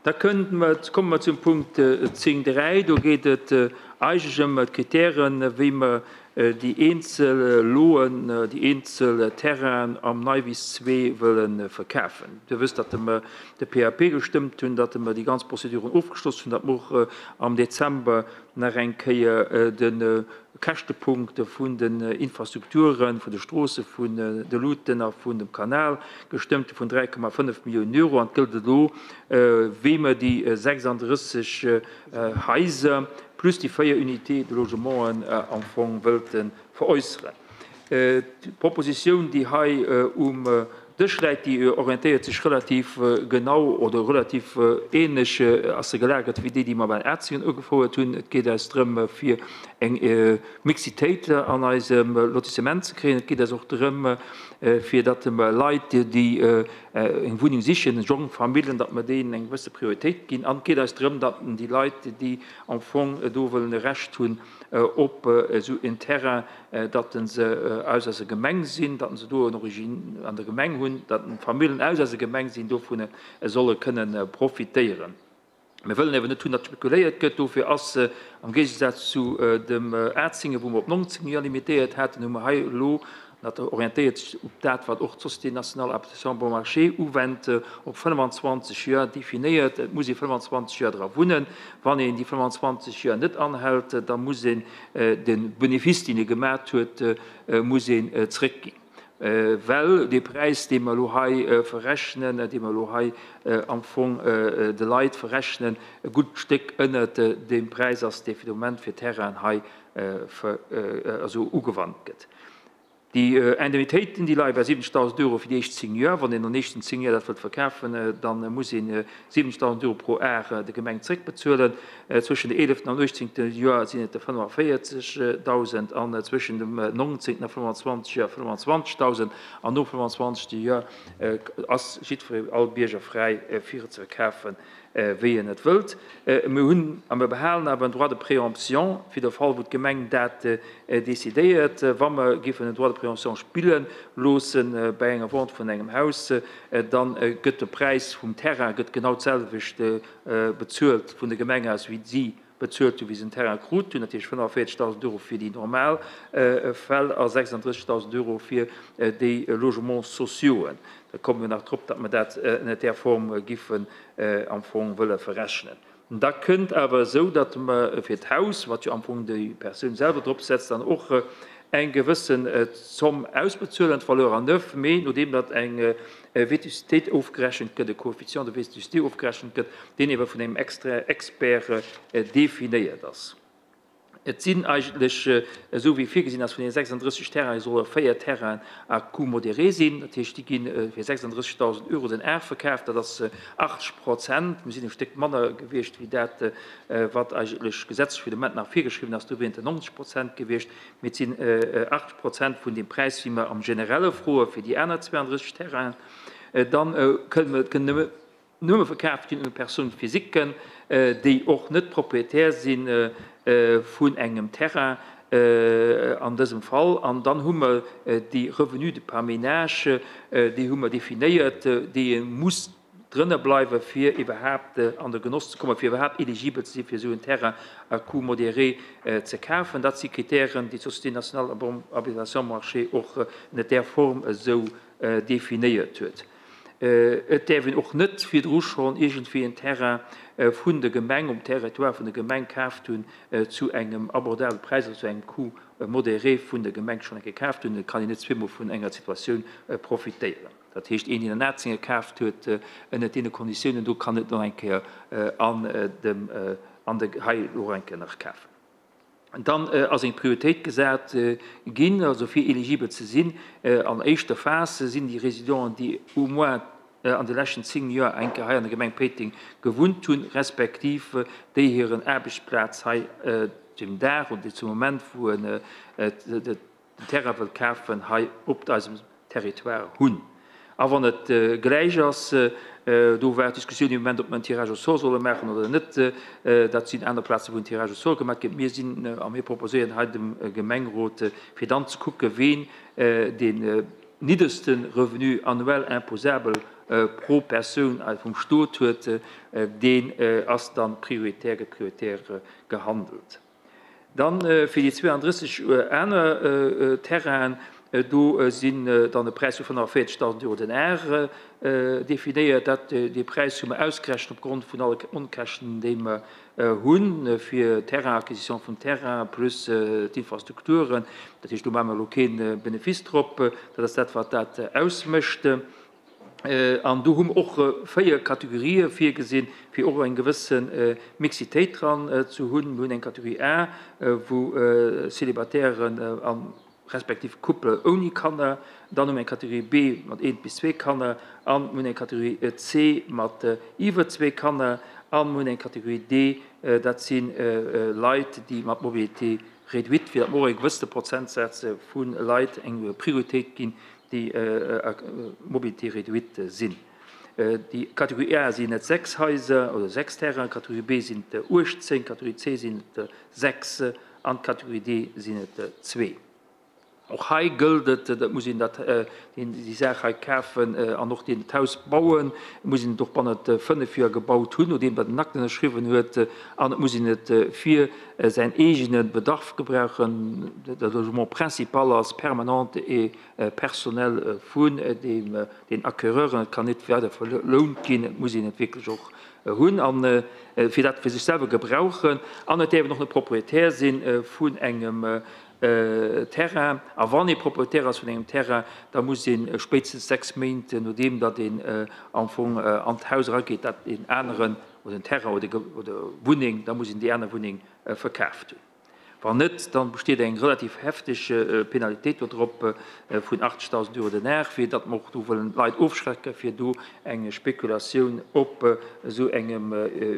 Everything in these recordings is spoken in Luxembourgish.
Da kënnt mer, komme mer zum Punkt 10, 3. Do geet et eigentlech ëm d'Kritären, wéi mer déi eenzel Loen, déi eenzel Terrainen am Neiwiss 2 wëlle verkafen. Dir wësst, datt mer de PAP gestëmmt hunn, datt mer déi ganz Prozeduren ofgeschloss hunn, datt mer och am Dezember nach eng Kéier de Käschtepunkt vun den Infrastrukturen, vun de Stroosse, vun de Luuten a vun dem Kanal gestëmmt hu vun 3,5 Milliounen Euro. An et gëllt elo, wéi mer déi 36 Haiser plus déi 4 Unités de logementen am Fong wëlte veräusseren. D'Propositioun, déi hei um Dësch läit, déi orientéiert sech relativ genau oder relativ ähnlech ass se gelagert wéi déi, déi mer bei Atzingen ugefouert hunn. Et geet eis drëm, fir eng Mixitéit an eisem Lotissement ze kréien. Et geet eis och drëm, fir datt mer Leit, déi eng Wunneng sichen, jonk Famillen, datt mer deenen eng gewësse Prioritéit ginn. An et geet eis drëm, datt déi Leit, déi am Fong do wëllen e Recht hunn op esou en Terrain, datt se aus eiser Gemeng sinn, datt se do en Origine an der Gemeng hunn, datt Famillen aus eiser Gemeng sinn, dovun solle kënnen profitéieren. Mir wëllen awer net hunn, datt spekuléiert gëtt. Dofir ass am Géigesaz zu dem Atzingen, wou mer op 19 Joer limitéiert haten, hu mer hei elo Dat orientéiert sech op dat, wat och d'Société nationale d'habitation bon marché uwennt, op 25 Joer definéiert. Et muss ee 25 Joer dra wunnen. Wann een déi 25 Joer net anhält, da muss een de Benefice, deen ee gemat huet, muss een zréckginn. Well dee Präis, dee mer elo hei verrechnen, dee mer elo hei am Fong de Leit verrechnen, e gutt Stéck ënnert deem Präis ass, dee fir de Moment fir Terrainen hei ugewannt gëtt. Déi Indemnitéiten, déi leie bei 70.000 Euro fir déi éischt 10 Joer. Wann een an den éischten 10 Joer dat wëllt verkafen, da muss een 70.000 Euro pro Ar der Gemeng zréckbezuelen. Zwëschen de eeleften an uechtzéngte Joer sinn et der 45.000 an zwëschen dem nongzéngten a 25 Joer 25.000. An nom 25. Joer ass jiddweree, all Bierger fräi fir et ze verkafen, wéi en et wëllt. Mir hunn a mir behalen awer en Droit de préemption fir de Fall, wou d'Gemeng dat decidéiert. Wa mer géifen en Droit de préemption spille loosse bei enger Vente vun engem Haus, da gëtt de Präis vum Terrain gëtt genau d'selwecht bezuelt vun der Gemeng aus, wéi si bezuelt hunn, wéi se den Terrain krut hunn, dat heescht 45.000 Euro fir déi normal Fäll a 36.000 Euro fir déi Logements sociauxen. Da komme mir nach drop, datt mer dat ënnert där Form giffen am Fong wëlle verrechnen. Da kënnt awer esou, datt mer fir d'Haus, wat jo am Fong déi Persoun selwer drop setzt, dann och eng gewëssen Zomm ausbezuelen, d'Valeur à neuf, mee nodeem datt eng Vétustéit ofgerechent gëtt, e Coefficient de vétusté ofgerechent gëtt, deen ewer vun engem Expert definéiert ass. Et sinn eigentlech, esou wéi virgesinn ass, vun deene 36 Terrainen solle 4 Terrainen à coût modéré sinn. Dat heescht, déi gi fir 36.000 Euro den Ar verkaaft. Dat ass 80 Prozent. Mir sinn e Stéck manner gewiescht wéi dat, wat eigentlech gesetzlech fir de Moment nach virgeschriwwen ass. Do wieren et 90 Prozent gewiescht. Mee et sinn 80 Prozent vun deem Präis, wéi mer am Generelle froe fir déi aner 32 Terrainen. Dann kënnen nëmme verkaaft ginn un Personnes physiquen, déi och net Propriétaire si vun engem Terrain an dësem Fall. An dann hu mer déi Revenus par ménage, déi hu mer definéiert, déi ee muss drënner bleiwen, fir iwwerhaapt an de Genoss ze kommen, fir iwwerhaapt éligibel ze si fir esou en Terrain à coût modéré ze kafen. Dat si Kritären, déi d'Société nationale à bon habitation marché och ënner där Form esou definéiert huet. Et däerf een och net virdru schonn iergendwéi en Terrain vun der Gemeng um Territoire vun der Gemeng kaaft hunn zu engem abordabele Präis, also zu engem Coût modéré vun der Gemeng schonn eng Kéier kaaft hunn. Et kann een net zweemol vun enger Situatioun profitéieren. Dat heescht, een, deen an Atzénge kaaft huet ënnert deene Konditiounen do, kann net nach eng Kéier an dem, an de, hei och eng Kéier nach kafen. Dann ass eng Prioritéit gesat ginn, also fir eligibel ze sinn an éischter Phas sinn déi Résidenten, déi au moins an de leschten 10 Joer eng Kéier hei an der Gemeng Péiteng gewunnt hunn, respektiv déi hiren Aarbechtsplaz hei dem Dag oder zum Moment, wou en den Terrain wëllt kafen, hei op eisem Territoire hunn. A wann et gläich ass, do war d'Diskussioun dee Moment, ob mer en Tirage au sort solle maachen oder net. Dat sinn aner Plazen, wou en Tirage au sort gemaach gëtt. Mir sinn a mir proposéieren hei dem Gemengrot, fir dann ze kucken, ween deen nidderste Revenu annuel imposable. pro Persoun vum Stot huet, deen ass dann prioritär, gëtt prioritär gehandelt. Dann fir déi 32 aner Terrainen, do sinn dann e Präis vu 45.000 Euro den Ar definéiert. Dat, dee Präis hu mer ausgerechent opgrond vun alle Onkäschten, déi mer hunn fir Terrain-Acquisition vum Terrain plus d'Infrastrukturen. Dat heescht, do maache mer elo kee Benefice drop. Dat ass dat, wat dat ausmécht. An do hu mer och 4 Kategorië virgesinn, fir och eng gewësse Mixitéit dran ze hunn. Mir hunn eng Kategorie A, wou Célibataires a respektiv Couple ouni Kanner, dann hu mer eng Kategorie B mat eent bis zwee Kanner an mir hunn eng Kategorie C mat iwwer zwee Kanner an mir hunn eng Kategorie D, dat si Leit, déi mat Mobilité réduite, fir datt mer och e gewëssene Prozentsaz vu Leit eng Prioritéit ginn, déi à mobilité réduite sinn. Déi Kategorie A sinn et 6 Haiser oder 6 Terrainen, Kategorie B sinn et 18, Kategorie C sinn et 6 an d'Kategorie D sinn et zwee. Och hei gëllt et, dat muss een dat, deen déi Saach hei kafen an och deen d'Haus bauen, muss een et och bannent 5 Joer gebaut hunn, nodeem datt en Akt ënnerschriwwen huet, an et muss een et fir säin eegene Bedarf gebrauchen, de Logement principal ass permanent et personnel vun deem den Acquéreuren, et kann net weider verlount ginn, et muss een et wierklech och hunn a fir dat fir sech selwer gebrauchen an et däerf een och net Propriétaire si vun engem Terrain. A wann ee Propriétaire ass vun engem Terrain, da muss ee spéitstens 6 Méint nodeem datt een am Fong an d'Haus erageet, dat een aneren oder en Terrain oder Wunneng, da muss een déi aner Wunneng verkaaft hunn. Wann net, dann besteet eng relativ hefteg Penalitéit do drop vun 80.000 Euro den Ar, fir datt mer och do wëllen d'Leit ofschrecken, fir do eng Spekulatioun op esou engem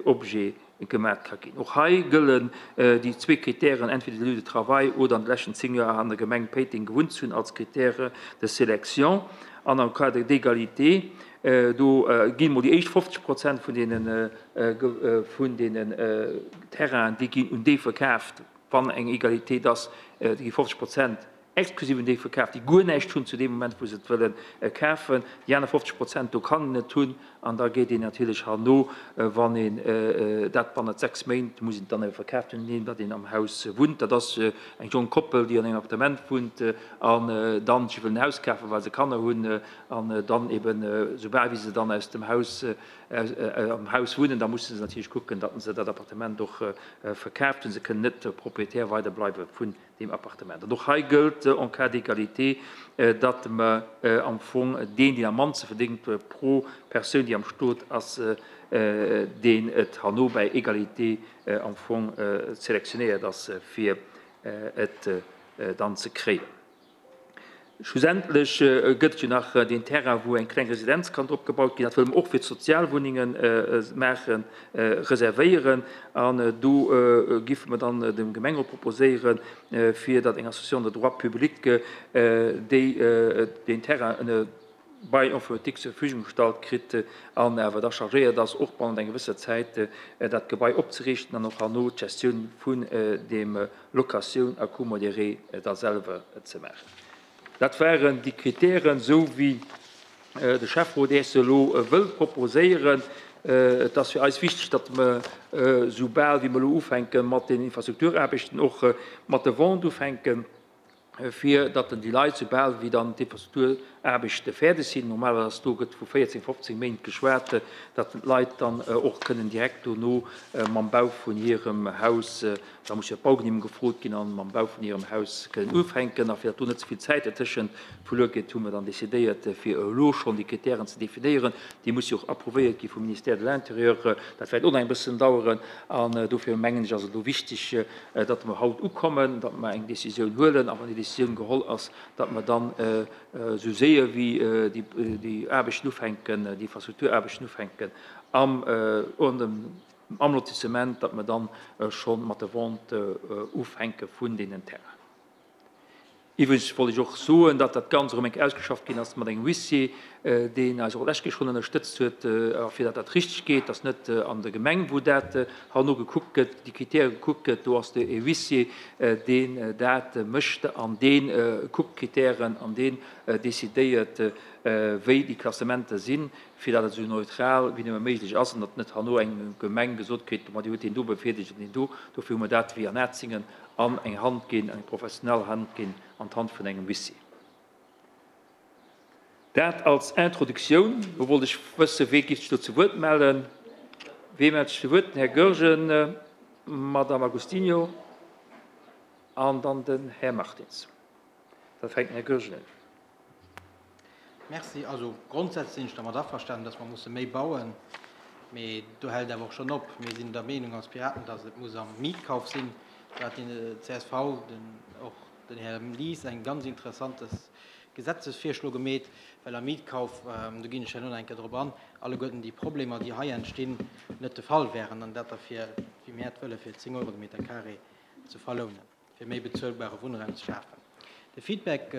Objet gemat ka ginn. Och hei gëllen déi zwee Kritären, entweder de Lieu de travail oder an de leschten 10 Joer an der Gemeng Péiteng gewunnt ze hunn, als Critère de sélection. An am Cadre d'égalité, do ginn emol déi éischt 50 Prozent vun deenen, vun deenen Terrainen, déi ginn un déi verkaaft, wann eng Egalitéit ass, déi gi 50 Prozent exklusiv un déi verkaaft, déi guer näischt hunn zu deem Moment, wou se et wëlle kafen. Déi aner 50 Prozent, do kann een et hunn an da geet een natierlech herno, wann een dat bannent 6 Méint, muss een et dann ebe verkaaft hunn, nodeem datt een am Haus wunnt. Dat ass eng jonk Koppel, déi an engem Appartement wunnt an dann sech wëllen en Haus kafen, well se Kanner hunn an dann eben, soubal wéi se dann aus dem Haus, am Haus wunnen, da musse se natierlech kucken, datt se dat Appartement och verkaaft hunn. Se kënnen net Proprietär weider bleiwe vun deem Appartement. An och hei gëllt en cas d'égalité, datt mer am Fong deen, deen am mannste verdéngt pro Persoun, déi am Stot ass, deen et herno bäi Égalité am Fong selektionéiert ass, fir et dann ze kréien. Schlussendlech gëtt et jo nach deen Terrain, wou eng kleng Residenz kann drop gebaut ginn. Dat wëlle mer och fir d'Sozialwunnenge maachen, reservéieren. An do giffe mer dann dem Gemengerot proposéieren, fir datt eng Association de droit public déi deen Terrain ënner Bail emphytéotique zur Verfügung gestallt kritt an awer da chargéiert ass, och bannent enger gewësser Zäit dat Gebai opzeriichten an och herno d'Gestioun vun deem Locatioun à coût modéré da selwer ze maachen. Dat waren déi Kritären, esou wéi de Schäfferot Iech se elo wëll proposéieren. Et ass fir eis wichteg, datt mer, soubal wéi mer elo ufänke mat den Infrastrukturaarbechten, och mat de Vente ufänken. fir datt déi Leit, soubal wéi dann d'Infrastrukturaarbechte fäerdeg sinn, normalerweis ass do, gëtt vu 14, 15 Méint geschwat, datt d'Leit dann och kënnen direkt dono mam Bau vun hirem Haus, da muss jo d'Baugenehmegung gefrot ginn, an mam Bau vun hirem Haus kënnen ufänken. A fir datt do net ze vill Zäit dertëschent verluer geet, hu mer dann decidéiert, fir elo schonn déi Kritären ze definéieren. Déi musse jo och approuvéiert gi vum Ministère de l'Intérieur. Dat wäert och nach eng bëssen daueren. An dofir mengen ech, ass et elo wichteg, datt mer haut ukommen, datt mer eng Décisioun huelen, a wann déi Décisioun geholl ass, datt mer dann esou séier wéi déi Aarbechten ufänken, déi Infrastrukturaarbechten ufänken am am Lotissement, datt mer dann scho mat der Vente ufänke vun deenen Terrainen. Iwwregens wollt ech och soen, datt dat Ganzt erëm eng Kéier ausgeschafft ginn ass mat engem Huissier, deen eis och d'lescht Kéier schonn ënnerstëtzt huet, a fir datt dat richteg geet, datt net an der Gemeng, wou dat herno gekuckt gëtt, déi Kritäre gekuckt gëtt, do ass de e Huissier, deen dat mécht an dee kuckt d'Kritären an deen decidéiert. wéi déi Klassementer sinn, fir datt et esou neutral wéi nëmme méiglech ass an datt net herno eng Gemeng gesot kritt, ma Dir hutt deen do bevirdeelegt an deen do. Dofir hu mer dat wéi an Atzingen an eng Hand ginn, eng professionell Hand ginn, an d'Hand vun engem Huissier. Dat als Introductioun. Lo wollt ech wëssen, wee géif sech do zu Wuert mellen? Wee mellt sech zu Wuert? Den Här Goergen, d'Madame Agostinho an dann den Här Martins. Da fänkt den Här Goergen un. Merci. Also grondsätzlech sinn ech dermat averstanen, dass mer musse méi bauen. Mee do hält et awer och schonn op. Mir sinn der Meenung als Piraten, dass et muss am Mietkauf sinn. Do hat déi csv, den, och den Här Lies eng ganz interessantes Gesetzesvirschlo gemeet, well am Mietkauf, do ginn ech herno nach eng Kéier drop an, alleguerten déi Problemer, déi hei entstinn, net de Fall wären an dat da fir, wéi mir et wëllen, fir 10 Euro de Meter carré ze verlounen. fir méi bezuelbare Wunnraum ze schafen. De Feedback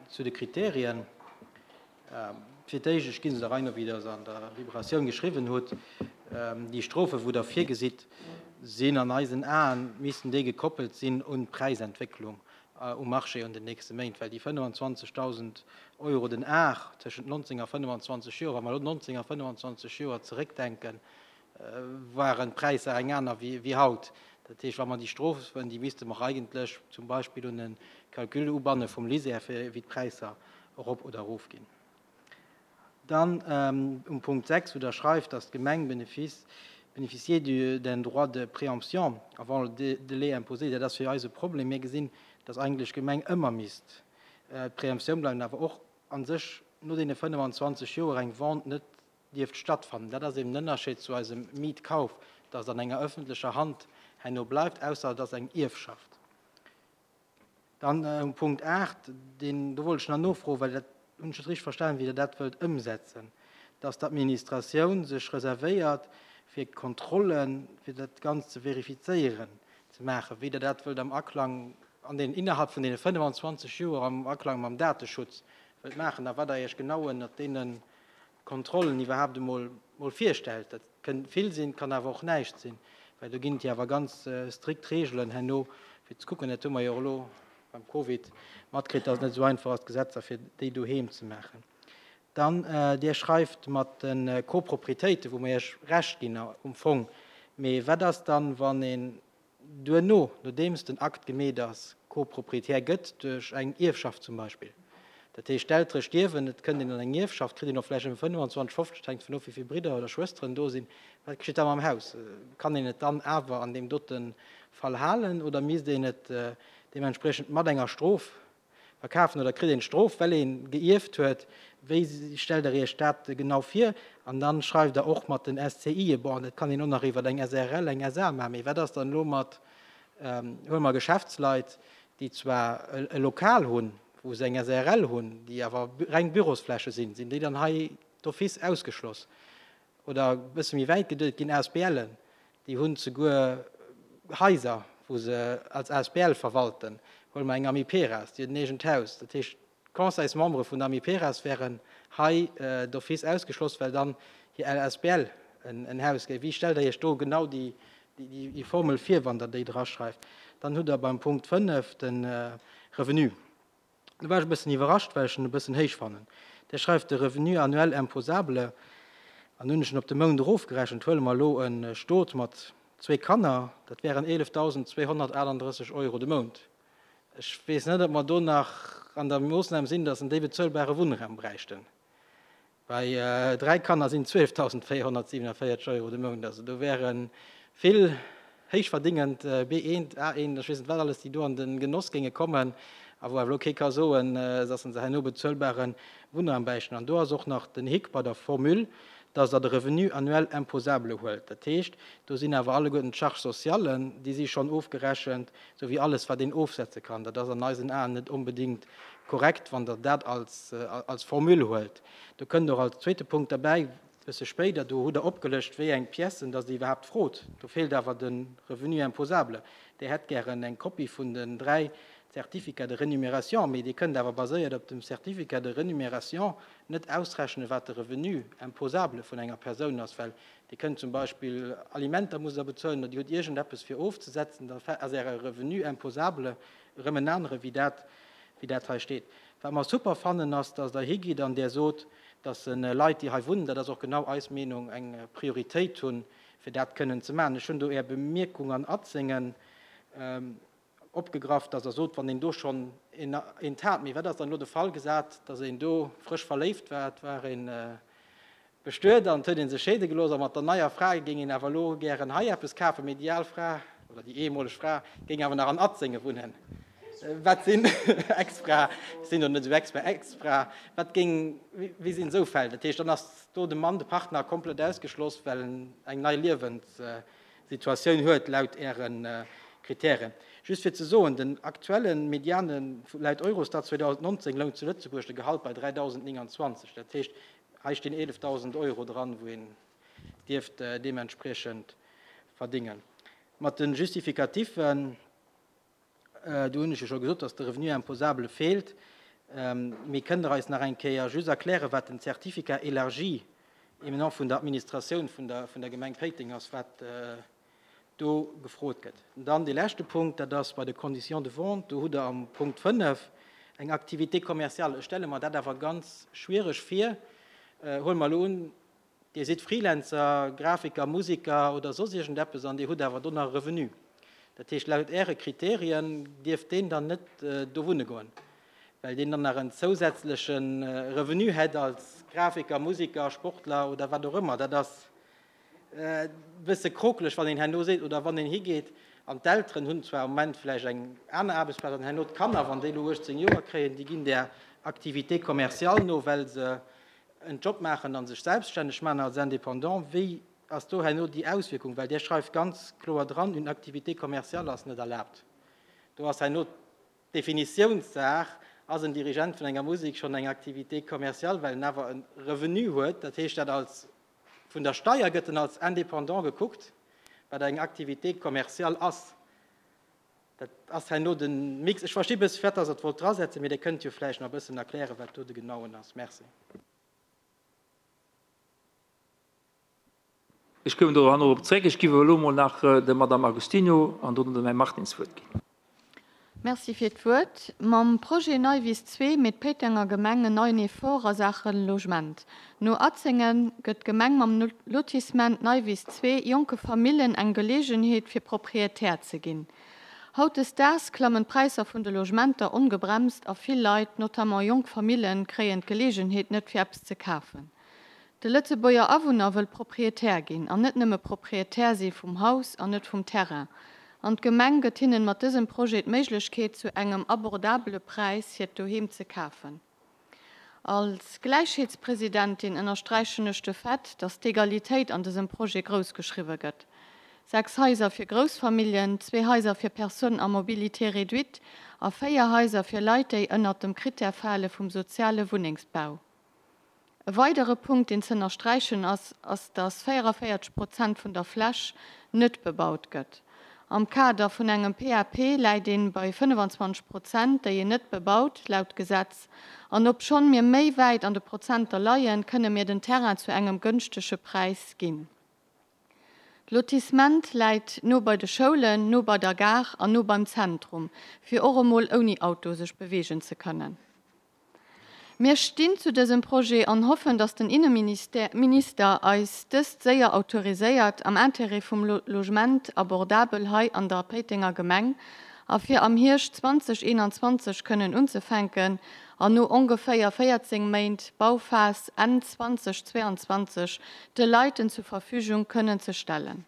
zu de Kriterien, Fir d'éischt, ech gi se der Rei no, wéi Der se an der Liberatioun geschriwwen hutt, déi Strofen, wou Der virgesitt, sinn an eisen Aen, missten déi gekoppelt sinn un d'Präisentwécklung um Marché an den nächste Méint, well déi 25.000 Euro den Ar tëschent 19 a 25 Joer, wa mer elo 19 a 25 Joer zeréckdenken, waren d'Präisser eng aner wéi haut. Dat heescht, wa mer déi Strofen, déi misste mer eigentlech zum Beispill un e Calcul ubanne vum LISER, fir wéi d'Präisser erop oder erofginn. Dann um Punkt 6, wou Der schreift, dass d'Gemeng bénéficier d'un droit de préemption avant le délai imposé, dat ass fir eis e Problem. Mir gesinn, dass eigentlech d'Gemeng ëmmer misst d'Préemptioun bleiwen, awer och a sech no deene 25 Joer eng Vente net dierft stattfannen. Dat ass eben den Ënnerscheed zu eisem Mietkauf, dass et an enger öffentlecher Hand herno bleift, ausser et ass eng Ierfschaft. Dann um Punkt 8, deen, do wollt ech nach nofroen, well dat hunn ech net richteg verstanen, wéi Der dat wëllt ëmsetzen, dass d'Administratioun sech reservéiert, fir Kontrollen, fir dat Ganzt ze verifizéieren, ze maachen, wéi Der dat wëllt am Aklang an den, innerhalb vun deene 25 Joer am Aklang mam Dateschutz wëllt maachen a wat Der Iech genau ënnert deene Kontrollen iwwerhaapt emol mol virstellt. Dat kënn vill sinn, kann awer och näischt sinn, well do ginn et jo awer ganz strikt Reegelen herno fir ze kucken. Dat hu mer jo och elo beim Covid matkritt, dass et net esou einfach ass, d'Gesetzer fir déi doheem ze maachen. Dann, Dir schreift mat de Coproprietéiten, wou mer Iech Recht ginn um Fong, mee wat ass dann, wann een duerno, nodeems den Akt gemeet ass, Co-Proprietär gëtt, duerch eng Ierfschaft zum Beispill. Dat heescht, d'Eltere stierwen, et kënnt een an eng Ierfschaft, kritt een och vläicht ëm 25, 50, hänkt dovun of, wéi vill Bridder oder Schwësteren do sinn. Wat geschitt da mam Haus? Kann een et dann awer an deem dote Fall halen oder misst een et deementspriechend mat enger Strof Verkafen oder kritt een d'Strof, well een geierft huet? Wéi stellt der Iech dat genau vir? An dann schreift der och mat den SCIe, bon, dat kann een och nach iwwert eng SRL, eng SA maachen, mee wat ass dann elo mat, huele mer Geschäftsleit, déi zwar e Lokal hunn, wou se eng SRL hunn, déi awer reng Bürosfläche sinn, sinn déi dann hei d'office ausgeschloss? Oder e bësse méi wäit geduet, et ginn ASBLen, déi hunn zeguer Haiser, wou se als asbl verwalten. Huele mer eng Amiperas, déi huet en eegent Haus. Dat heescht, d'Conseilsmembere vun der Amiperas wären hei d'office ausgeschloss, well dann hir asbl en Haus géif. Wéi stellt Der Iech do genau déi Formel vir, wann Der déi draschreift? Dann hutt Der beim Punkt 5 de Revenu. Do war ech e bëssen iwwerrascht, well ech en e bëssen héich fannen. Dir schreift de Revenu annuel imposable, an hunn ech en op de Mount erofgerechent, huele mer elo e Stot mat zwee Kanner, dat wären 11.238 Euro de Mount. Ech weess net, ob mer do nach an der Moossnam sinn, datt en déi bezuelbare Wunnraum bräichten. Bei 3 Kanner sinn et 12.447 Euro de Mount. Also do wäre vill héichverdingend B1, A1, ech weess net wat alles, déi do an de Genoss géinge kommen a wou awer elo kee ka soen, dass se herno bezuelbare Wunnraum bräichten. An do ass och nach den Hick bei der Formule, dass Der de Revenu annuel imposable huelt. Dat heescht, do sinn awer alleguerten d'Charges sociales, déi si schonn ofgerechent, souwéi alles, wat een ofsetze kann. Dat ass an eisen Aen net onbedéngt korrekt, wann Der dat als, als Formule huelt. Do kënnt och als zweete Punkt derbäi, e bësse spéider, do hutt Der opgelëscht, wéi eng Piècen dass Dir iwwerhaapt frot. Do feelt awer de Revenu imposable. Dir hätt gären eng Kopie vun den dräi Certificats de rémunération, mee Dir kënnt awer baséiert op dem Certificat de rémunération net ausrechnen, wat de Revenu imposable vun enger Persoun ass, well Dir kënnt zum Beispill Alimenter musst Der bezuelen oder Dir hutt iergendeppes fir ofzesetzen, da ass Äre Revenu imposable erëm en anere wéi dat. wéi dat hei steet. Wat mer super fannen, ass, dass Der higitt an Der sot, dass Leit, déi hei wunnen, dat ass och genau eis Meenung, eng Prioritéit hunn, fir dat kënnen ze maachen. Ech hunn do Är Bemierkung an Atzengen opgegraff, dass Der sot, wann een do schonn eent hat. Mee wat ass dann elo de Fall gesat, dass een do frësch verléift war, et war ee bestuet an et huet ee sech scheede gelooss a mat der neier Fra géing een awer elo gären hei eppes kafen, mee déi al Fra oder déi ehemoleg Fra géing awer nach an Atzénge wunnen. Wat sinn Ex-Fra, ech sinn do net esou Expert, Ex-Fra, wat géing, wéi sinn esou Fäll? Dat heescht, dann ass do de Mann, de Partner komplett ausgeschloss, well en eng nei Liewenssituatioun huet laut Äre Kritären. Just fir ze soen, den aktuelle Mediane laut Eurostat 2019 loung zu Lëtzebuerg de Gehalt bei 3.029. Dat heescht, hei stinn 11.000 Euro dran, wou een dierft deementspriechend verdingen. Mat de Justificatifen, Do hunn ech jo scho gesot, dass de Revenu imposable feelt. Mee kënnt Der eis nach eng Kéier just erklären, wat den Certificat élargi émanant vun der Administratioun vun der Gemeng Péiteng ass, wat do gefrot gëtt? Dann dee leschte Punkt, dat ass bei de Conditions de vente. Do hutt Der am Punkt 5 eng Activité commerciale. Ech stelle mer dat awer ganz schwiereg vir. Huele mer elo un, Dir sidd Freelancer, Grafiker, Musiker oder soss iergendeppes an Dir hutt awer do nach e Revenu. Dat heescht, laut Äre Kriterien dierft deen dann net do wunne goen, well deen dann nach en zousätzleche Revenu hätt als Grafiker, Musiker, Sportler oder wat och ëmmer. Dat ass e bësse krokeleg, wann een herno seet, oder wann een higeet an d'Elteren hunn zwar am Moment vläicht eng aner Aarbechtsplaz an herno d'Kanner, wann déi elo 18 Joer kréien, déi ginn där Activité commerciale no, well se en Job maachen a sech selbststänneg maachen als Indépendant, wéi ass do herno déi Auswierkung? Well Dir schreift ganz kloer dran, une activité commerciale ass net erlaabt. Do ass herno d'Definitiounssaach, Ass en Dirigent vun enger Musek schonn eng Activité commerciale, well en awer e Revenu huet? Dat heescht, dat als, vun der Steier gëtt en als Indépendant gekuckt, wat eng Activité commerciale ass. Dat ass herno de Mix. Ech versti bësse firwat dass Der et wollt drasetzen, mee Dir kënnt jo vläicht nach e bëssen erklären, wat do de genauen ass. Merci. Ech kommen do herno drop zréck. Ech géif awer elo emol nach der Madame Agostino an dono dem Här Martins d'Wuert ginn. Merci fir d'Wuert. Mam Projet Neiwiss 2 meet d'Péitenger Gemeng en neien Effort a Saache Logement. No Atzengen gëtt d'Gemeng mam Lotissement Neiwiss 2 jonke Famillen eng Geleegenheet fir Proprietär ze ginn. Hautdesdaags klammen d'Präisser vun de Logementer ongebremst a vill Leit, notamment jonk Famillen, kréien d'Geleegenheet net fir eppes ze kafen. De Lëtzebuerger Awunner wëll Proprietär ginn an net nëmme Proprietär si vum Haus an net vum Terrain. An d'Gemeng gëtt hinnen mat dësem Projet d'Méiglechkeet zu engem abordabele Präis hiert Doheem ze kafen. Als Gläichheetspresidentin ënnersträichen ech de Fait, dass d'Egalitéit an dësem Projet grouss geschriwwe gëtt. 6 Haiser fir Groussfamilljen, zwee Haiser fir Personnes à mobilité réduite a 4 Haiser fir Leit, déi ënnert dem Critère fale vum soziale Wunnengsbau. E weidere Punkt, deen z'ënnersträichen ass, ass, dass 44 Prozent vun der Fläch net bebaut gëtt. Am Kader vun engem PAP läit een bei 25 Prozent, déi een net bebaut, laut Gesetz. An obschonn mir méi wäit an de Prozenter leien, kënne mir den Terrain zu engem gënschtege Präis ginn. D'Lotissement läit no bei de Schoulen, no bei der Gare an no beim Zentrum, fir och emol ouni Auto sech beweegen ze kënnen. Mir stinn zu dësem Projet an hoffen, datt den Inneminister eis dëst séier autoriséiert, am Intérêt vum Logement abordabel hei an der Péitenger Gemeng a fir am Hierscht 2021 kënnen unzefänken an no ongeféier 14 Méint Bauphas Enn 2022 de Leit en zur Verfügung kënnen ze stellen.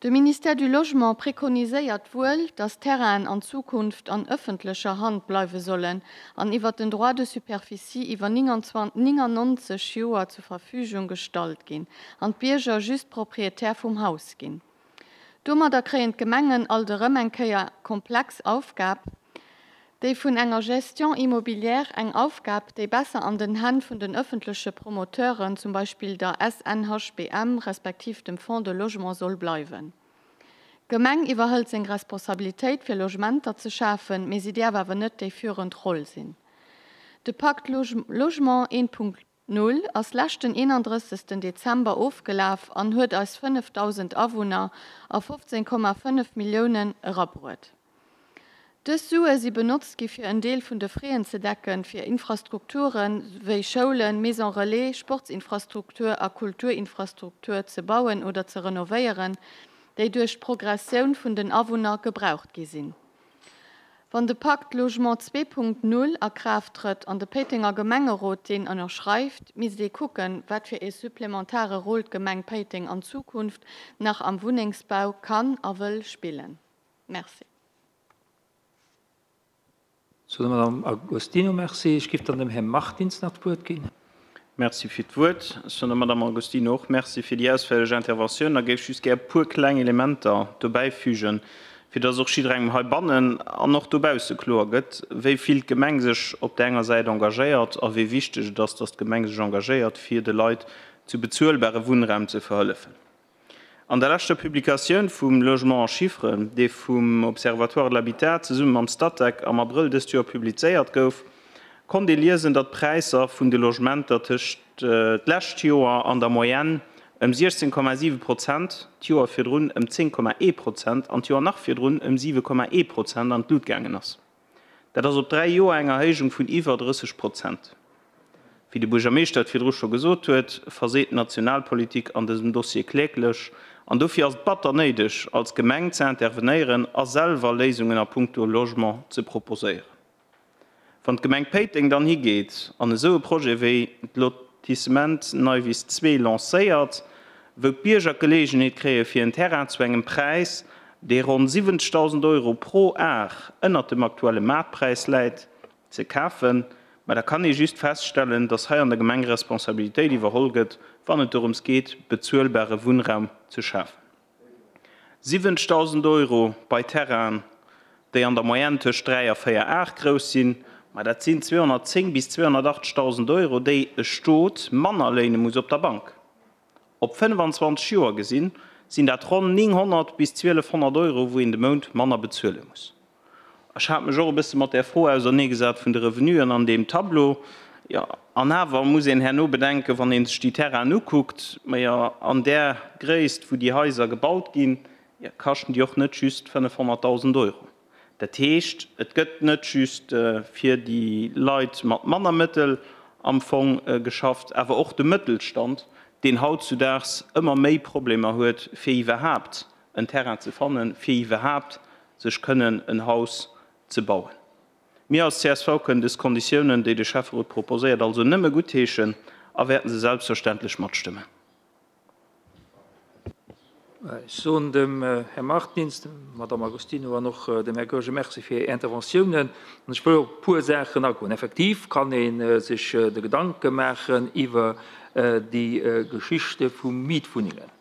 De Ministère du Logement prekoniséiert wuel, datt Terrainen an Zukunft an ëffentlecher Hand bleiwe sollen an iwwer den Droit de superficie iwwer 99 Joer zur Verfügung gestallt ginn an d'Bierger just Proprietär vum Haus ginn. Domadder kréien d'Gemengen alt erëm eng Kéier komplex Aufgab, déi vun enger Gestion immobilière, eng Aufgab, déi besser an den Hänn vun den öffentleche Promoteuren, zum Beispill der SNHBM respektiv dem Fonds de Logement soll bleiwen. D'Gemeng iwwerhëlt seng Responsabilitéit fir Logementer ze schafen, mee si däerf awer net déi führend Roll sinn. De Pacte Logement 1.0 ass leschten 31. Dezember ofgelaf an huet eis 5.000 Awunner a 15,5 Milliounen erabruet. Dës Sue si benotzt gi fir en Deel vun de Fräen ze decken, fir Infrastrukture wéi Schoulen, Maison Relais, Sportsinfrastruktur a Kulturinfrastruktur ze bauen oder ze renovéieren, déi duerch d'Progressioun vun den Awunner gebraucht gi sinn. Wann de Pacte Logement 2.0 a Kraaft trëtt an de Péitenger Gemengerot deen ënnerschreift, misst ee kucken, wat fir ee supplementare Rôle d'Gemeng Péiteng an Zukunft nach am Wunnengsbau kann a wëll spillen. Merci. Sou, der Madame Agostino Merci. Ech géif dann dem Här Martins nach d'Wuert ginn. Merci fir d'Wuert. Ech soen der Madame Agostino och Merci fir déi ausféierlech Interventioun a géif just gär e puer kleng Elementer dobäifügen, fir dass och jidderengem heibannen an och dobausse kloer gëtt, wéi vill d'Gemeng sech op där enger Säit engagéiert a wéi wichteg et ass, dass d'Gemeng sech engagéiert, fir de Leit zu bezuelbare Wunnraum ze verhëllefen. An der leschter Publikatioun vum Logement en chiffres, dee vum Observatoire de l'habitat zesumme mam Statec am Abrëll dëst Joer publizéiert gouf, konnt ee liesen, datt d'Präisser vun de Logementer tëscht d'lescht Joer an der Moyenne ëm 16,7 Prozent, d'Joer virdrun ëm 10,1 Prozent an d'Joer nach virdrun ëm 7,1 Prozent an d'Lut gaangen ass. Dat ass op 3 Joer eng Erhéijung vun iwwer 30 Prozent. Wéi de Buergermeeschter et virdru scho gesot huet, verseet d'Nationalpolitik an dësem Dossier kläglech. An dofir ass et batter néideg, als Gemeng ze intervenéieren a selwer Léisungen a puncto Logement ze proposéieren. Wann d'Gemeng Péiteng dann higeet an esou e Projet wéi d'Lotissement Neiwiss 2 lancéiert, wou d'Bierger d'Geleegenheet kréie fir en Terrain zu engem Präis, dee ronn 70.000 Euro pro Ar ënnert dem aktuelle Maartpräis läit, ze kafen, ma da kann ee just feststellen, datt hei an der Gemeng Responsabilitéit iwwerholl gëtt, wann et dorëms geet, bezuelbare Wunnraum ze schafen. 70.000 Euro bei Terrainen, déi an der Moyenne tëscht 3 a 4 Ar grouss sinn, ma dat sinn 210 bis 280.000 Euro, déi e Stot manner léine muss op der Bank. Op 25 Joer gesinn, sinn dat ronn 900 bis 1.200 Euro, wou een de Mount manner bezuele muss. Ech hat mech och e bësse mat där Fro auserneegesat vun de Revenuen an deem Tableau. Jo, an awer muss een herno bedenken, wann ee sech déi Terrainen ukuckt, majo, an där Gréisst, wou déi Haiser gebaut ginn, jo, kaschten déi och net just 500.000 Euro. Dat heescht, et gëtt net just fir déi Leit mat manner Mëttel am Fong geschafft, awer och de Mëttelstand, deen hautzudaags ëmmer méi Problemer huet, fir iwwerhaapt en Terrain ze fannen, fir iwwerhaapt sech kënnen en Haus ze bauen. Mir als csv kënnen dës Konditiounen, déi de Schäfferot proposéiert, also nëmme guttheeschen a wäerten se selbstverständlech matstëmmen. Ech soen dem Här Martins, der Madamm Agostino an och dem Här Goergen Merci fir hir Interventiounen. An ech wëll op e puer Saachen agoen. Effektiv kann ee sech de Gedanke maachen iwwer déi Geschichte vu Mietwunnengen.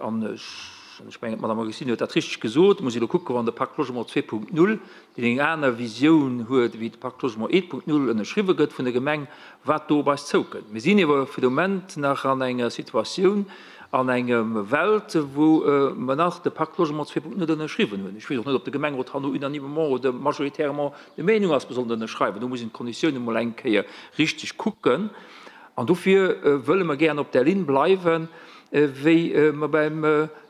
An ech mengen, d'Madame Agostino huet dat richteg gesot, et muss ee elo kucken, wann de Pacte Logement 2.0, deen eng aner Visioun huet wéi de Pacte Logement 1.0, ënnerschriwwe gëtt vun der Gemeng, wat do op eis zoukënnt. Mir sinn ewer fir de Moment nach an enger Situatioun, an engem Welt, wou mer nach de Pacte Logement 2.0 ënnerschriwwen hunn. Ech weess och net, ob de Gemengerot herno unanimement oder majoritairement der Meenung ass, mer sollen ënnerschreiwen. Do muss een d'Konditiounen emol eng Kéier richteg kucken. An dofir wëlle mer gären op där Linn bleiwen, wéi mer beim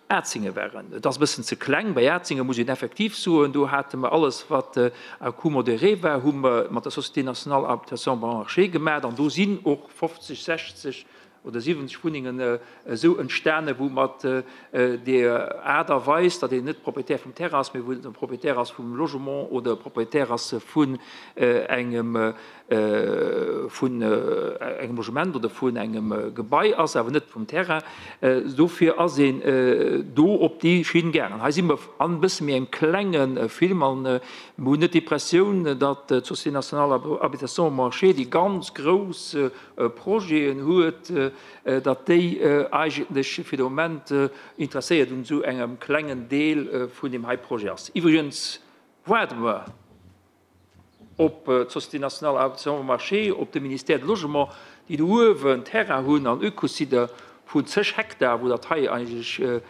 Atzinge waren. Et ass e bëssen ze kleng. Bei Atzinge muss een effektiv soen, do hate mer alles, wat à coût modéré war, hu mer mat der Société nationale habitation bon marché gemaach. An do sinn och 50, 60 oder 70 Wunnengen esou entstanen, wou mat där Aart a Weis, datt een net Propriétaire vum Terrain ass, mee wou een Propriétaire ass vum Logement oder Propriétaire ass vun engem vun engem Logement oder vun engem Gebai ass, awer net vum Terrain. Dofir ass een do op déi Schinn gaangen. Hei si mer an e bësse méi engem klenge Film an mer hunn net d'Impressioun, datt d'Société nationale habitation marché déi ganz grouss Projeten huet, datt déi eigentlech fir de Moment interesséiert un esou engem klengen Deel vun deem hei Projet ass. Iwwregens waarde mer op d'Société nationale habitation marché, op de Ministère de Logement, déi do uewen Terrain hunn an Ökosider vun zeg Hektar, wou dat hei eigentlech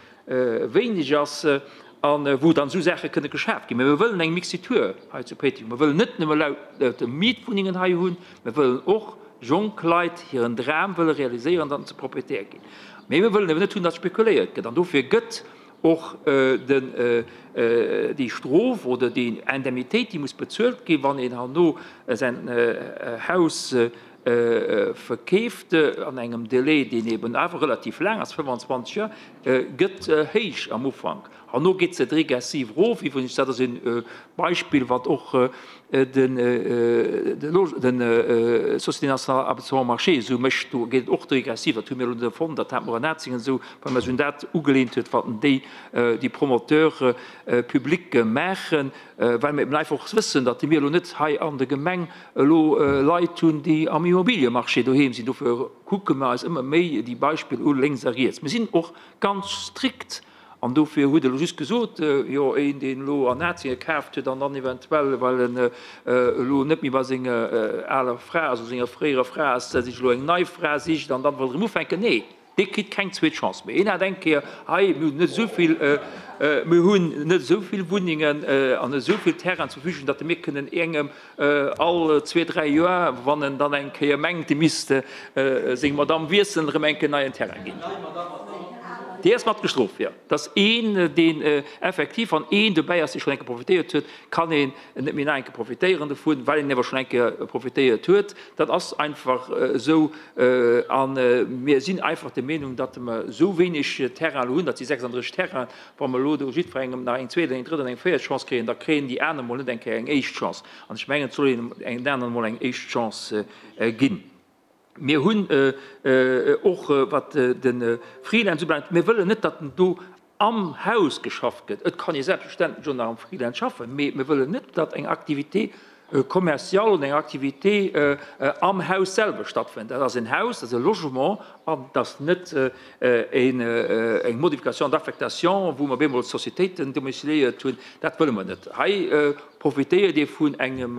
wéineg ass a wou dann esou Saache kënne geschaaft ginn. Mä mir wëllen eng Mixitur hei zu Péiteng. Mir wëllen net nëmme lauter Mietwunnengen hei hunn, mir wëllen och jonk Leit hiren Dram wëlle realiséieren, datt se Propriétaire ginn. Mä mir wëllen awer net hunn, datt spekuléiert gëtt. An dofir gëtt. Och den, déi Strof oder déi Indemnitéit, déi muss bezuelt ginn, wann een herno säin Haus verkeeft an engem Délai, deen eben awer relativ laang ass, 25 Joer, gëtt héich am Ufank. Herno geet se regressiv erof. Iwwregens, dat ass e Beispill, wat och den Société nationale d'arbitrage marché esou mécht. Do geet et och regressiv. Dat hu mir elo net erfonnt, dat hate mer an Atzingen esou, well mer eis un dat ugeleent huet, wat déi, déi Promoteurs publics maachen, well mer eben einfach och wëssen, datt mir elo net hei an der Gemeng elo Leit hunn, déi am Immobiliemarché doheem sinn. Dofir kucke mer eis ëmmer méi déi Beispill u lénks a riets. Mir sinn och ganz strikt An dofir hutt Der elo just gesot, jo, een, deen elo an Atzénge kaaft huet an dann eventuell, well en elo net méi bei senger aler Fra ass oder senger fréierer Fra ass, sech elo eng nei Fra sicht an dann wëll erëm ufänken, nee, dee kritt keng zweet Chance méi. Een hat eng Kéier hei, mir hunn net esou vill, mir hunn net esou vill Wunnengen an esou vill Terrainen zur Verfügung, datt mir kënnen engem All zwee, dräi Joer, wann en dann eng Kéier mengt, e misst seng Madamm wiesselen, erëm eng Kéier neien Terrain ginn. Déi ass mat gestrooft, jo. Et ass een, deen effektiv, wann een dobäi ass, dee schonn eng Kéier profitéiert huet, kann een net méi nach eng Kéier profitéieren dovun, well een awer schonn eng Kéier profitéiert huet. Dat ass einfach esou. A mir sinn einfach der Meenung, datt mer esou wéineg Terrain elo hunn, dat si 36 Terrainen, Wa mer elo do jiddwerengem nach eng zweet, eng drëtt an eng véiert Chance kréien, da kréien déi aner mol net eng Kéier eng éischt Chance. An ech mengen, et soll een den aneren emol eng éischt Chance ginn. Mir hunn och, wat de Freelance ubelaangt, mir wëllen net, datt do am Haus geschafft gëtt. Et kann ee selbstverständlech och nach am Freelance schaffen, mee mir wëllen net, datt eng Activité commerciale oder eng Activité am Haus selwer stattfënnt. Dat ass en Haus, dat ass e Logement an et ass net eng Modification d'affectation, wou mer bemol Sociétéiten domiciliéiert hunn. Dat wëlle mer net. Hei profitéiert ee vun engem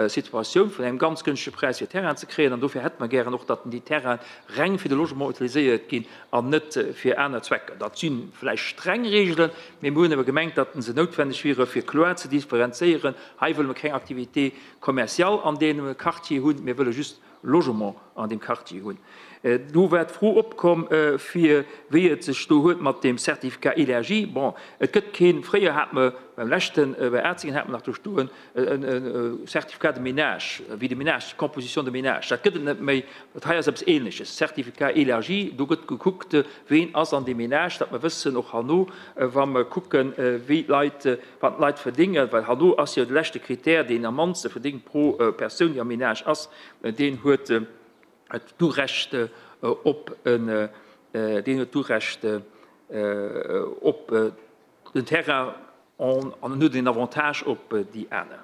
Situatioun, vun engem ganz gënschtege Präis fir Terrainen ze kréien an dofir hätte mer gären och, datt déi Terrainen reng fir de Logement utiliséiert ginn an net fir aner Zwecker. Dat si vläicht streng Regeln, mee mir hunn awer gemengt, datt se noutwenneg wiere fir kloer ze differenzéieren, Hei wëlle mer keng Activité commerciale an deem Quartier hunn, mir wëlle just Logement an deem Quartier hunn. Do war d'Fro opkomm, fir wéi et sech do huet mat deem Certificat élargi. Bon, et gëtt keen, fréier hate mer beim leschten, bei Atzingen hate mer nach do stoen, e Certificat de ménage, wéi de Ménage, d'Composition de ménage. Dat gëtt et net méi. Dat hei ass eppes Ähnleches, Certificat élargi, do gëtt gekuckt, ween ass an deem Ménage, datt mer wëssen och herno, wa mer kucken, wéi d'Leit, wat d'Leit verdéngen, well herno ass jo de leschte Critère, deen am mannste verdéngt pro Persoun, déi am Ménage ass, deen huet d'Urecht op en, deen huet d'Urecht op den Terrain an en huet en Avantage op déi aner.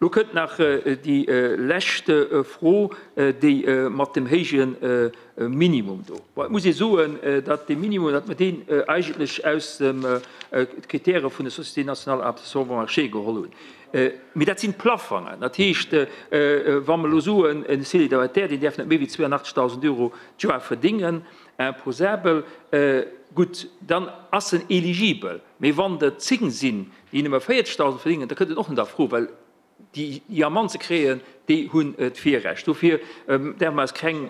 Lo kënnt nach déi lescht Fro, déi mat dem héije Minimum do. Bon, et muss ee soen, datt dee Minimum, datt mer deen eigentlech aus de Kritäre vun der Société nationale d'adaptation au marché geholl hunn. Mee dat sinn d'Plafongen. Dat heescht, wa mer elo soen, e Célibataire, deen däerf net méi wéi 82.000 Euro d'Joer verdéngen, imposabel, gutt, dann ass en eligibel. Mee wann der 10 sinn, déi nëmme 40.000 verdéngen, da kënnt en och net a Fro, well déi, déi am mannste kréien, déi hunn d'Virrecht. Dofir däerfe mer eis keng,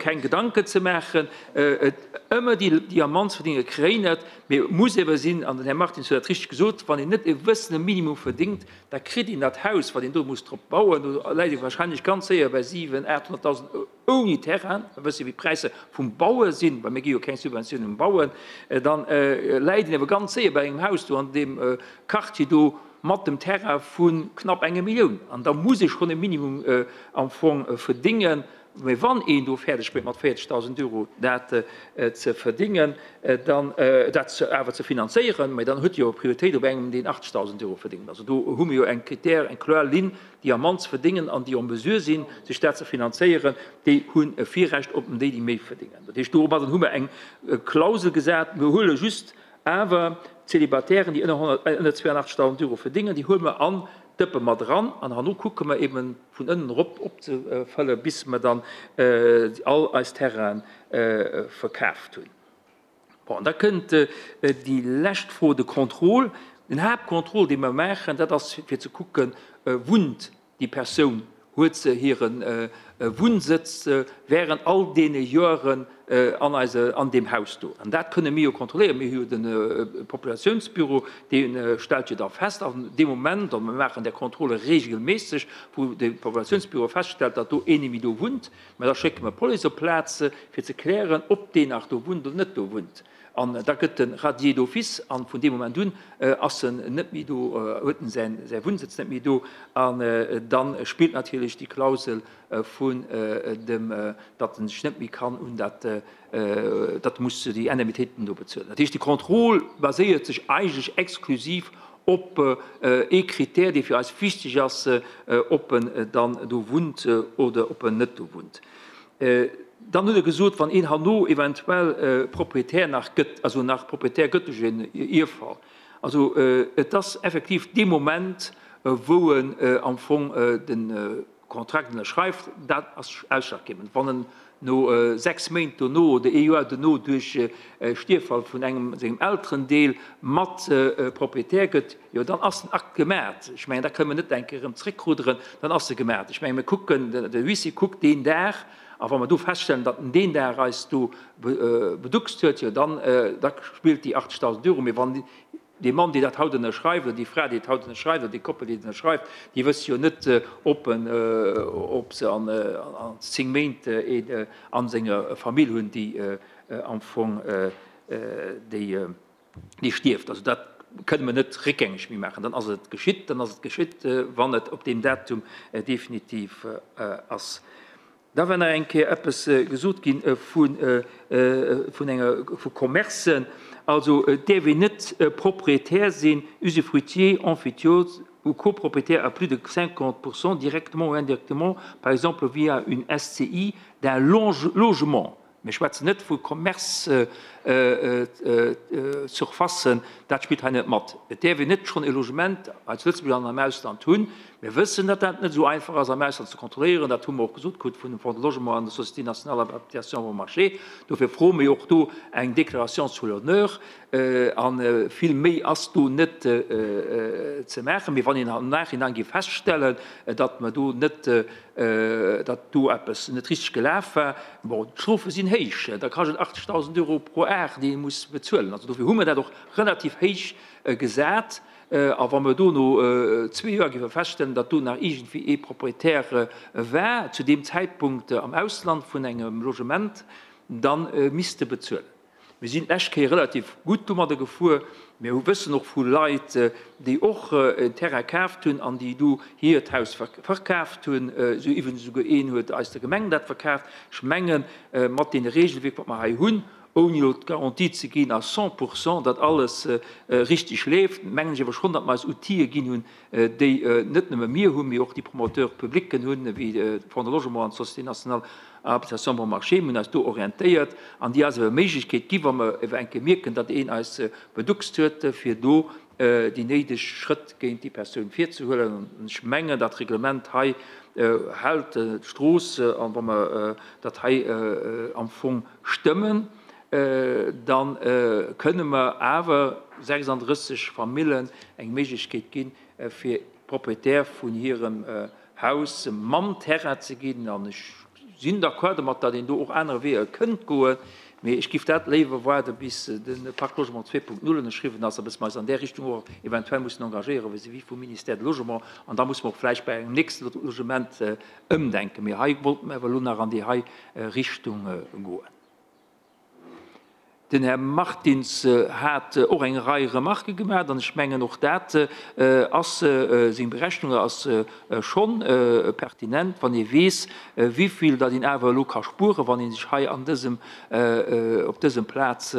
keng Gedanken ze maachen. Et ëmmer déi, déi am mannste verdéngen, kréien et. Mee et muss ewer sinn, an den Här Martins huet dat richteg gesot, wann een net e wëssene Minimum verdéngt, da kritt een dat Haus, wat een do muss drop bauen, do läit ee wahrscheinlech ganz séier bei 700.000, 800.000 ouni Terrain, mer wësse wéi d'Präisser vum Baue sinn, well mir gi jo keng Subventiounen um Bauen, da läit een awer ganz séier bei engem Haus do an deem Quartier do mat dem Terrain vu knapp enger Millioun. An da muss ee schonn e Minimum am Fong verdéngen. Mee wann een do fäerdeg bréngt mat 40.000 Euro dat ze verdéngen, dann dat awer ze finanzéieren, mä dann huet jo Prioritéit op engem, deen 80.000 Euro verdéngt. Also do hu mir jo eng Critère, eng kloer Linn, déi am mannste verdéngen an déi en mesure sinn, sech dat ze finanzéieren, déi hunn e Virrecht op déi, déi méi verdéngen. Dat heescht, domadden hu mer eng Klausel gesat. Mir huele just awer d'Célibataires, déi ënner 82.000 Euro verdéngen, déi huele mer an d'Dëppe mat eran an herno kucke mer eeben vun ënnen erop opzefëllen, bis mer dann all eis Terraine verkaaft hunn. Bon, an da kënnt déi lescht Fro, de Contrôle. Den Haaptcontrôle, dee mer maachen, dat ass fir ze kucken, Wunnt déi Persoun, huet se hiren Wunnsëtz während all deene Joeren an eise, an deem Haus do. An dat kënne mir jo kontrolléieren. Mir hu jo de Populationsbüro, dee stellt jo da fest an deem Moment, a mir maachen där Contrôle regelméisseg, wou de Populationsbüro feststellt, datt do een némmi do wunnt, mä da schécke mer d'Police op d'Plaz, fir ze klären, ob deen nach do wunnt oder net do wunnt. An da gëtt e radié d'office an vun deem Moment un ass en net méi do, huet en säi Wunnsëtz net méi do. An da spillt natierlech déi Klausel vun dem, datt en sech net méi kann un dat, datt e muss déi Indemnitéiten do bezuelen. Dat heescht, de Contrôle baséiert sech eigentlech exklusiv op ee Critère, dee fir eis wichteg ass, ob en dann do wunnt oder ob en net do wunnt. Dann huet e gesot, wann een herno eventuell Proprietär nach gëtt, also nach Proprietär gëtt duerch en Ierffall, also et ass effektiv dee Moment, wou en am Fong de Kontrakt ënnerschreift, dat ass ausschlaggebend. Wann en no 6 Méint dono oder ee Joer dono duerch Stierffall vun engem sengem Elterendeel mat Proprietär gëtt, jo dann ass den Akt gemat. Ech mengen, da kënne mer net eng Kéier erëm zréckrudderen, dann ass e gemat. Ech mengen, mir kucken, de Huissier kuckt deen Dag, a wa mer do feststellen, datt en deen Dag eis do beduckst huet, jo dann da spillt déi 80.000 Euro. Mee wann dee Mann, deen dat haut ënnerschreift, oder déi Fra, déi et haut ënnerschreift, oder déi Koppel, déi et ënnerschreift, déi wësse jo net, ob en, ob se an 10 Méint een a senger Famill hunn, déi am Fong déi déi stierft. Also dat kënne mer net réckgängeg méi maachen. Dann ass et geschitt, dann ass et geschitt, wann et op deem Datum definitiv ass. Da war nach eng Kéier eppes gesot gi vun enger, vu Commercen. Also et däerf een net Propriétaire sinn, usufruitier, emphytiose ou copropriétaire à plus de 50 pour cent directement ou indirectement, par exemple via une SCI, d'un logement. Mir schwätzen net vu Commerce-Surfacen, dat spillt hei net mat. Et däerf een net schonn e Logement hei zu Lëtzebuerg an am Ausland hunn. Mir wëssen, datt dat net esou einfach ass am Ausland ze kontrolléieren. Dat hu mer och gesot krut vun dem Fonds de Logement an der Société nationale d'habitation bon marché. Dofir froe mir och do eng Déclaration sur l'honneur. A vill méi ass do net ze maachen. Mee wann een am Nachhinein géif feststellen, datt mer do net, datt do eppes net richteg gelaf war, bon, d'Strofe sinn héich, da kascht et 80.000 Euro pro Ar, déi ee muss bezuelen. Also dofir hu mer dat och relativ héich gesat. A wa mer do no zwee Joer géife feststellen, datt do nach iergendwéi ee Proprietär war zu deem Zäitpunkt am Ausland vun engem Logement, da misst e bezuelen. Mir sinn d'lescht Kéier relativ gutt domadder gefuer. Mir hu wëssen och vu Leit, déi och en Terrain kaaft hunn an déi du hiert Haus verkaaft hunn. Esou iwwregens esouguer een huet eis der Gemeng dat verkaaft. Ech mengen, mat deene Regelwierk, wat mer hei hunn, ouni elo d'Garantie ze ginn à 100 pour cent, datt alles richteg leeft, mengen ech awer schonn, datt mer eis Outile ginn hunn, déi net nëmme mir hunn, mee och déi Promoteurs publicen hunn, wéi de Fonds de Logement an d'Société nationale Habitation Bon Marché. Mir hunn eis do orientéiert an déi eis awer Méiglechkeet gi wa mer ewer eng Kéier mierken, datt een eis beduckst huet, fir do déi néideg Schrëtt géint déi Persoun virzehuelen. An ech mengen, dat Reglement hei hält d'Strooss. An wa mer dat hei am Fong stëmmen, da kënne mer awer 36 Famillen eng Méiglechkeet ginn, fir Proprietär vun hirem Haus mam Terrain ze ginn. An ech sinn d'accord domat, datt een do och aner Weeër kënnt goen, mee ech giff dat léiwer waarde bis de Pacte Logement 2.0 ënnerschriwwen ass a bis mer eis an där Richtung och eventuell mussen engagéieren vis-à-vis vum Ministère de Logement. An da musse mer och vläicht bei engem nächste Logement ëmdenken. Mee hei wollte mer awer elo nach an déi hei Richtung goen. Den Här Martins hat och eng Rei Remarquë gemaach, an ech mengen, och dat ass, seng Berechnung ass scho pertinent, wann ee weess, wivill datt een awer elo ka spueren, wann ee sech hei an dësem, op dësem Plaz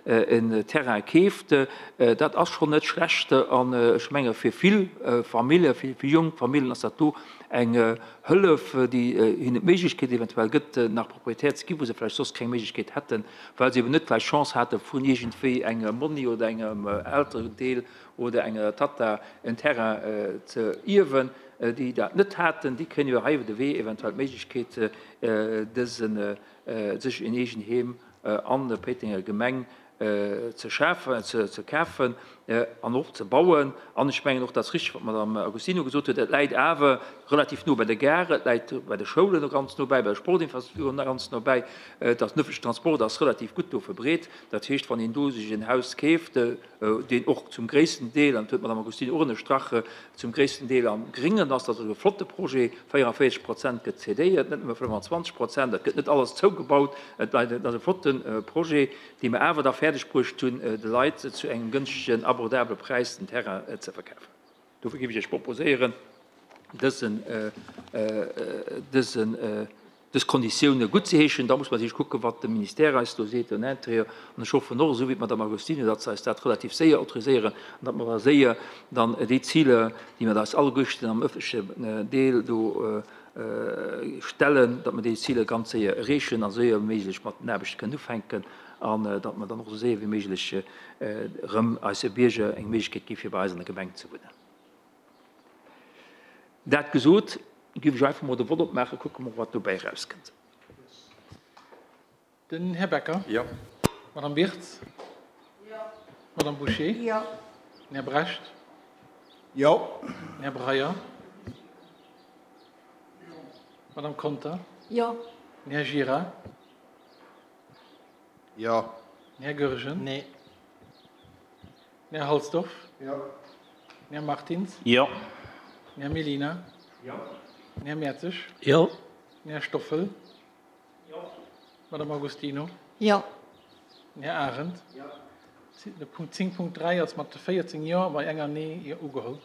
en Terrain keeft. Dat ass schonn net schlecht an ech menge fir vill Familljen, fir jonk Familljen ass dat do eng Hëllef, déi hinnen d'Méiglechkeet eventuell gëtt, nach Proprietär ze ginn, wou se vläicht soss keng Méiglechkeet hätten, well se eben net vläicht d'Chance hate vun iergendwéi engem Monni oder engem Elterendeel oder enger Tatta en Terrain ze ierwen. Déi dat net haten, déi kréien iwwer hei iwwer de Wee eventuell d'Méiglechkeet, dësen, sech en Eegenheem an der Péitenger Gemeng. ze schafen, ze kafen an och ze bauen. An ech mengen och, dat ass richtig, wat d'Madame Agostino gesot huet, et läit awer relativ no bei der Gare, et läit bei de Schoulen och ganz no bäi, bei de Sportinfrastrukturen ganz no bäi. Et ass, den öffentlichen Transport ass relativ gutt do verbreet. Dat heescht, wann een do sech en Haus keeft, deen och zum gréissten Deel, an dat huet d'Madame Agostino och ënnerstrach, zum gréissten Deel am Gréngen ass, dat ass e flotte Projet, 44 Prozent gëtt cédéiert, net nëmme 25 Prozent, et gëtt net alles zougebaut, et ass e flotte Projet, dee mer awer da fäerdeg bruecht hunn, de Leit zu engem gënschtegen, abordabele Präis den Terrain ze verkafen. Dofir géif ech Iech proposéieren, dësen, dësen, dës Konditioune guttzeheeschen. Da muss mer natierlech kucken, wat de Ministère eis do seet, den Intérieur. An ech hoffen och, esou wéi d'Madame Agostino, datt se eis dat relativ séier autoriséieren an datt mer da séier dann déi Ziler, déi mer eis alleguerten am öffentlechen Deel do stellen, datt mer déi Ziler ganz séier erreechen a séier wéi méiglech mat den Aarbechte kënnen ufänken an datt mer dann och esou séier wéi méiglech erëm eise Bierger eng Méiglechkeet gi fir bei eis an der Gemeng ze wunnen. Dat gesot, géif ech einfach mol de Vott opmaachen, kucke mer wat dobäi erauskënnt. Den Här Becker. Jo. D'Madame Wirtz. Jo. D'Madame Bouché. Jo. Den Här Brecht. Jo. Den Här Breyer. Jo. D'Madame Conter. Jo. Den Här Gira. Jo. Den Här Goergen. Nee. Den Här Halsdorf. Jo. Den Här Martins. Jo. Den Här Mellina. Jo. Den Här Mertzig. Jo. Den Här Stoffel. Jo. D'Madame Agostino. Jo. Den Här Arendt. Jo. De Punkt 10.3 ass mat 14 Jo bei enger Nee ugeholl.